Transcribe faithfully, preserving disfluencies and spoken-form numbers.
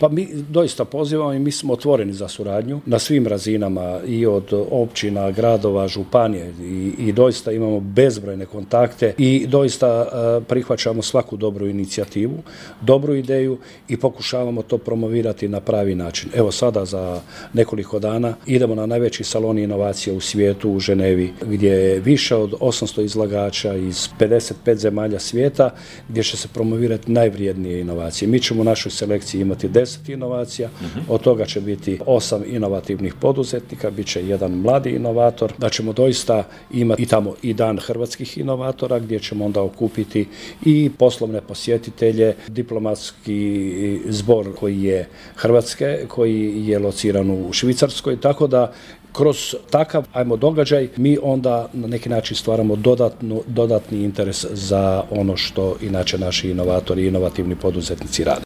Pa mi doista pozivamo i mi smo otvoreni za suradnju na svim razinama i od općina, gradova, županije i, i doista imamo bezbrojne kontakte i doista uh, prihvaćamo svaku dobru inicijativu, dobru ideju i pokušavamo to promovirati na pravi način. Evo sada za nekoliko dana idemo na najveći salon inovacije u svijetu u Ženevi, gdje je više od osamsto izlagača iz pedeset pet zemalja svijeta, gdje će se promovirati najvrijednije inovacije. Mi ćemo u našoj selekciji imati deset inovacija, uh-huh. Od toga će biti osam inovativnih poduzetnika, bit će jedan mladi inovator, da ćemo doista imati i tamo i dan hrvatskih inovatora, gdje ćemo onda okupiti i poslovne posjetitelje, diplomatski zbor koji je Hrvatske, koji je lociran u Švicarskoj, tako da kroz takav, ajmo, događaj, mi onda na neki način stvaramo dodatnu, dodatni interes za ono što inače naši inovatori i inovativni poduzetnici rade.